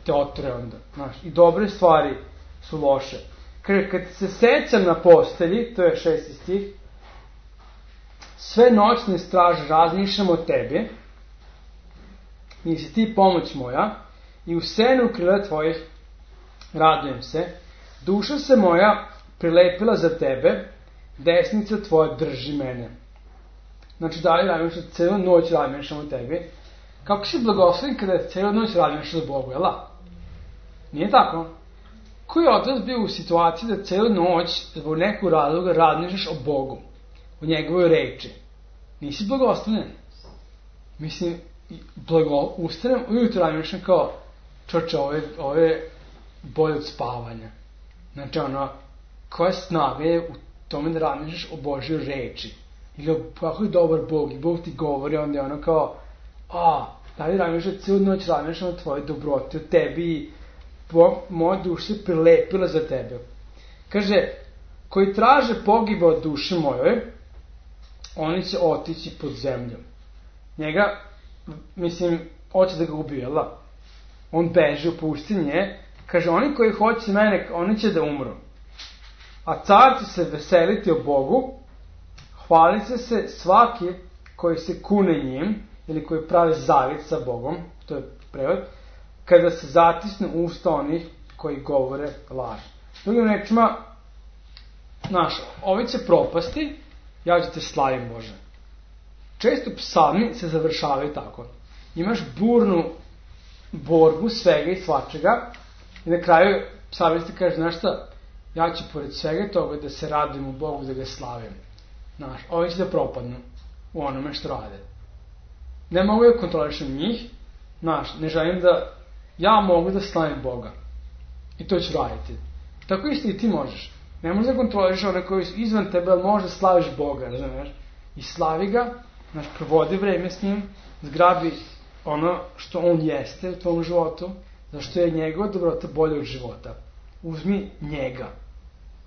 te otre onda. Znaš, i dobre stvari su loše. Kaže, kad se secam na postelji, to je šesti stih, sve noćne straže razmišljam o tebi, nisi ti pomoć moja, i u senu krila tvojih radujem se, duša se moja prilepila za tebe, desnica tvoja drži mene. Znači, da li razmišljam, celu noć razmišljam o tebi, kako si blagoslovin kada celu noć razmišljam o Bogu, jel da? Nije tako? Koji od vas bio u situaciji da celu noć zbog nekog razloga razmišljaš o Bogu, o njegovoj reči? Nisi blagoslovljen. Mislim, blago, ustanem, ujutro razmišljam kao, čoče, ove, ove bolje od spavanja. Znači, ono, koja snaga je u tome da razmišljaš o Božjoj reči? Ili kako je dobar Bog, i Bog ti govori, onda je ono kao, a, da li razmišljam, celu noć razmišljam o tvojoj dobroti, o tebi, i moja duša se prilepila za tebe. Kaže, koji traže pogiba od duše mojoj, oni će otići pod zemljom. Njega, mislim, hoće da ga ubije, jel da? On beže u pustinje, kaže, oni koji hoće mene, oni će da umru. A car će se veseliti o Bogu, hvalit će se svaki koji se kune njim, ili koji prave zavjet sa Bogom, to je prevod, kada se zatisne usta onih koji govore laž. Drugim rečima, znaš, ovi će propasti, ja ću te slavim, Bože. Često psalmi se završavaju tako. Imaš burnu borbu svega i svačega i na kraju psalmista kaže, znaš šta, ja ću pored svega toga da se radujem u Bogu, da ga slavim. Znaš, ovi će da propadnu u onome što rade. Ne mogu da kontrolišem njih, znaš, ne želim da ja mogu da slavim Boga. I to ću raditi. Tako isto i ti možeš. Ne možeš da kontroliš one koji su izvan tebe, ali možeš da slaviš Boga, razumiješ? I slavi ga, znaš, provodi vreme s njim, zgrabi ono što on jeste u tvom životu, zašto je njegova dobrota bolja od života. Uzmi njega,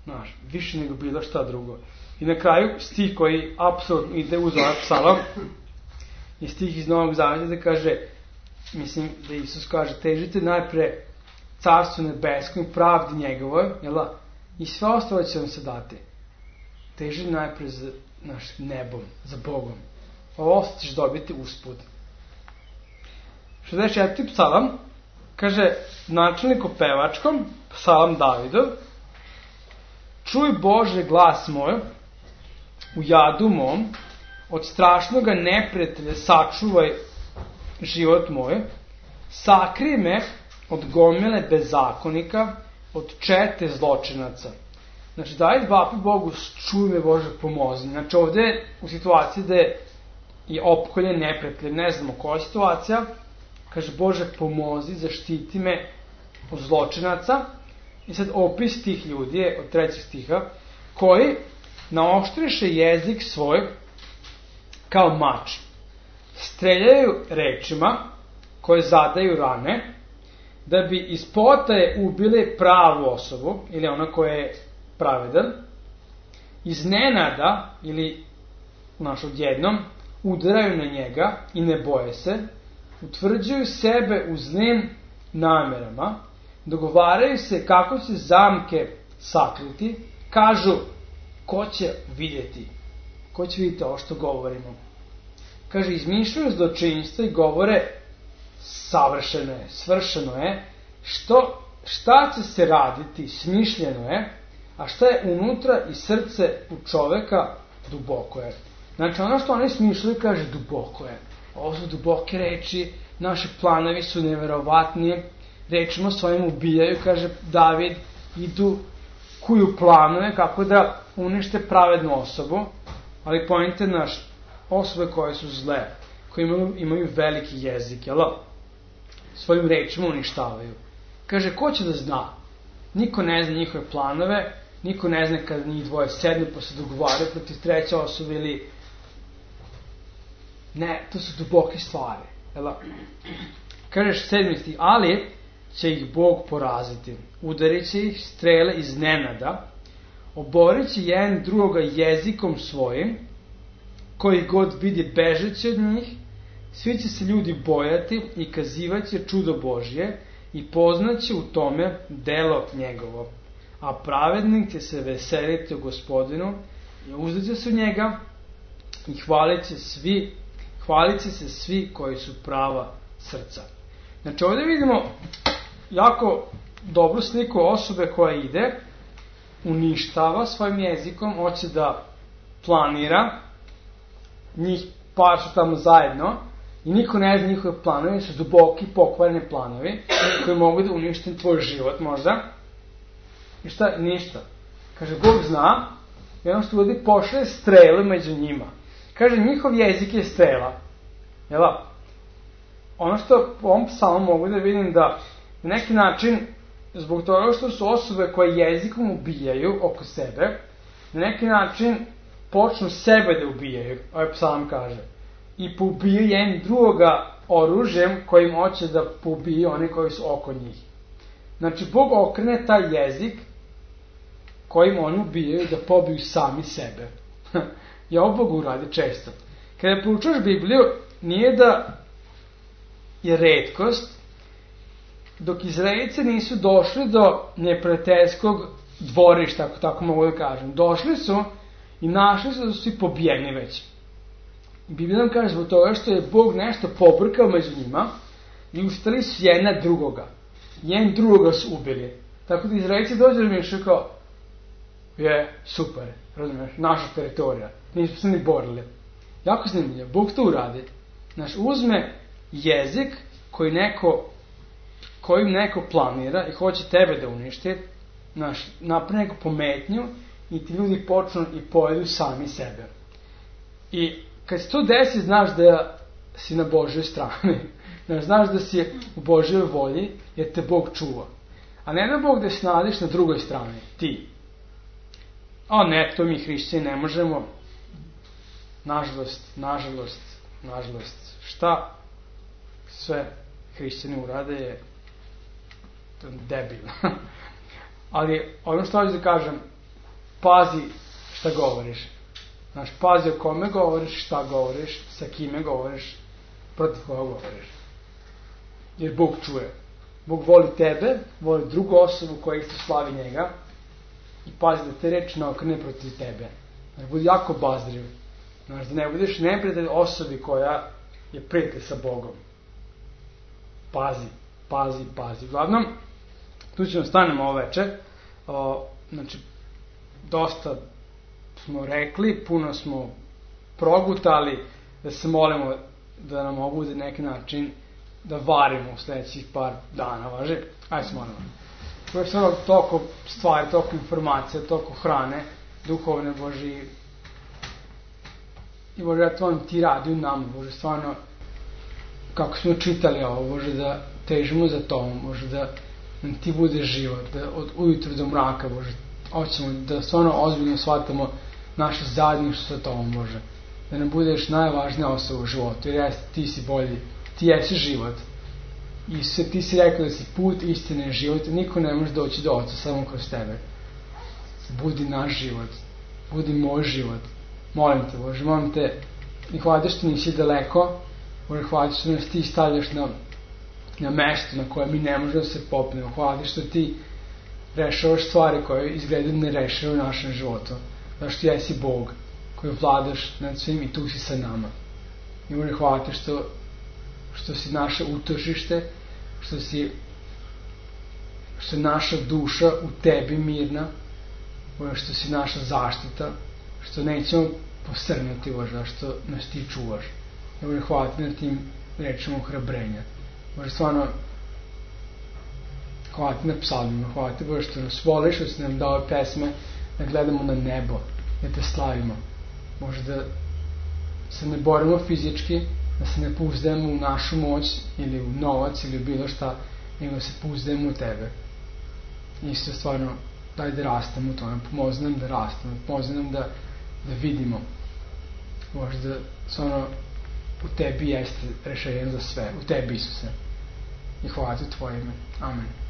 znaš, više nego bilo šta drugo. I na kraju stih koji apsolutno ide uz ovaj psalam, i stih iz Novog Zaveta da kaže, mislim da Isus kaže, težite najpre carstvu nebeskom i pravdi njegovoj, jel da? I sve ostalo će vam se dati. Teži najpre za naš nebom, za Bogom. Ovo ćeš dobiti usput. šezdeset četvrti psalam, kaže, načelnik o pevačkom, psalam Davidov, čuj Bože glas moj, u jadu mom, od strašnoga neprijatelja sačuvaj život moj, sakri me od gomile bezakonika, od čete zločinaca. Znači, daj vapi Bogu, čuj me Bože, pomozi. Znači, ovde je u situaciji da je i opkoljen neprijatelj, ne znamo koja situacija, kaže, Bože, pomozi, zaštiti me od zločinaca. I sad opis tih ljudi je od trećeg stiha, koji naoštriše jezik svoj kao mač. Streljaju rečima koje zadaju rane, da bi iz potaje ubili pravu osobu, ili ona koja je pravedan, iznenada, ili naš odjednom, udaraju na njega i ne boje se, utvrđuju sebe u zlim namerama, dogovaraju se kako će zamke sakriti, kažu, ko će vidjeti? Ko će vidjeti ovo što govorimo? Kaže, izmišljaju zločinstva i govore, savršeno je, svršeno je, što, šta će se raditi, smišljeno je, a šta je unutra i srce u čoveka, duboko je. Znači, ono što oni smišljaju, kaže, duboko je. Ovo su duboke reči, naši planovi su neverovatni, rečima svojim ubijaju, kaže David, idu kuju planove kako da unište pravednu osobu, ali pojente naš, osobe koje su zle, koje imaju, imaju veliki jezik, jel? Svojim rečima uništavaju. Kaže, ko će da zna? Niko ne zna njihove planove, niko ne zna kada njih dvoje sednu pa se dogovaraju protiv treće osobe ili... Ne, to su duboke stvari, jel? Kažeš sedmisti, ali će ih Bog poraziti. Udarit će ih strele iz nenada, oborit će jedan drugoga jezikom svojim, koji god vidi bežeći od njih, svi će se ljudi bojati i kazivat će čudo Božje i poznaće u tome delo njegovo. A pravednik će se veseliti u Gospodinu i uzdaće se u njega i hvalit će svi, hvalit će se svi koji su prava srca. Znači ovdje vidimo jako dobru sliku osobe koja ide, uništava svojim jezikom, hoće da planira, njih par su tamo zajedno i niko ne zna njihove planovi, su duboki, pokvareni planovi koji mogu da unište tvoj život možda. I šta? Ništa. Kaže, Bog zna i ono što ljudi pošle strele među njima. Kaže, njihov jezik je strela. Jel? Ono što po ovom psalmu mogu da vidim da na neki način, zbog toga što su osobe koje jezikom ubijaju oko sebe, na neki način počnu sebe da ubijaju, ovaj psalam kaže. I poubiju jedan drugoga oružjem kojim hoće da poubiju oni koji su oko njih. Znači, Bog okrene taj jezik kojim oni ubijaju da pobiju sami sebe. I ovo Bog uradi često. Kada proučaš Bibliju, nije da je retkost, dok Izraelice nisu došli do neprijateljskog dvorišta, ako tako mogu da kažem. Došli su i našli su da su svi pobijeni već. Biblija nam kaže zbog toga što je Bog nešto pobrkao među njima i ustali su jedna drugoga. Jedan drugoga su ubili. Tako da Izraelici dođu da mišljaju kao, je, super, razumiješ, naša teritorija. Nismo se ni borili. Jako zanimljivo, Bog to uradi. Znaš, uzme jezik koji neko, kojim neko planira i hoće tebe da uništi, znaš, napravi neku pometnju i ti ljudi počnu i pojedu sami sebe. I kad se to desi, znaš da si na Božjoj strani. Znaš, znaš da si u Božjoj volji, jer te Bog čuva. A ne da Bog da se nadiš na drugoj strani, ti. A ne, to mi hrišćani ne možemo. Nažalost, nažalost, nažalost. Šta sve hrišćani urade je debil. Ali ono što hoću da kažem, pazi šta govoriš. Znaš, pazi o kome govoriš, šta govoriš, sa kime govoriš, protiv koga govoriš. Jer Bog čuje. Bog voli tebe, voli drugu osobu koja isto slavi njega i pazi da te reči ne okrene protiv tebe. Znaš, budi jako bazriv. Znaš, da ne budeš neprijatelj osobi koja je prijatelj sa Bogom. Pazi, pazi, pazi. Uglavnom, tu ćemo stanemo ovo večer. O, znači, dosta smo rekli, puno smo progutali, da se molimo da nam ovo bude neki način da varimo u sledećih par dana, važi? Ajde se molimo. To je stvarno toliko stvari, toliko informacija, toliko hrane, duhovne, Bože, i Bože, ja tvojom ti radi u nama, Bože, stvarno, kako smo čitali ovo, Bože, da težimo za tobom, Bože, da nam ti bude život, da od ujutru do mraka, Bože, hoćemo da stvarno ozbiljno shvatamo naše zajedništvo sa tobom, Bože, da nam budeš najvažnija osoba u životu, jer jeste, ti si bolji, ti jesi život. Isuse, ti si rekao da si put, istine i život, niko ne može doći do Oca samo kroz tebe. Budi naš život, budi moj život. Molim te, Bože, molim te, i hvala ti što nisi daleko, Bože, hvala ti što nas ti stavljaš na, na mesto na koje mi ne možemo da se popnemo. Hvala ti što ti rešavaš stvari koje izgledaju ne rešavaju u našem životu. Zato što jesi Bog koji vladaš nad svim i tu si sa nama. I Bože, hvala ti što što si naše utočište, što si što je naša duša u tebi mirna, Bože, što si naša zaštita, što nećemo posrnuti, Bože, što nas ti čuvaš. Bože, hvala ti na tim rečima ohrabrenja. Bože, stvarno, hvala ti na psalmima, hvala ti, Bože, što nas voliš, što si nam dao pesme, da gledamo na nebo, da te slavimo. Bože, da se ne borimo fizički, da se ne pouzdajemo u našu moć ili u novac ili u bilo šta, nego se pouzdajemo u tebe. Isto stvarno, daj da rastemo u tome, pomozi nam da rastemo, pomozi nam da, da vidimo. Bože, da stvarno u tebi jeste rešenje za sve, u tebi, Isuse. I hvala ti u tvoje ime. Amen.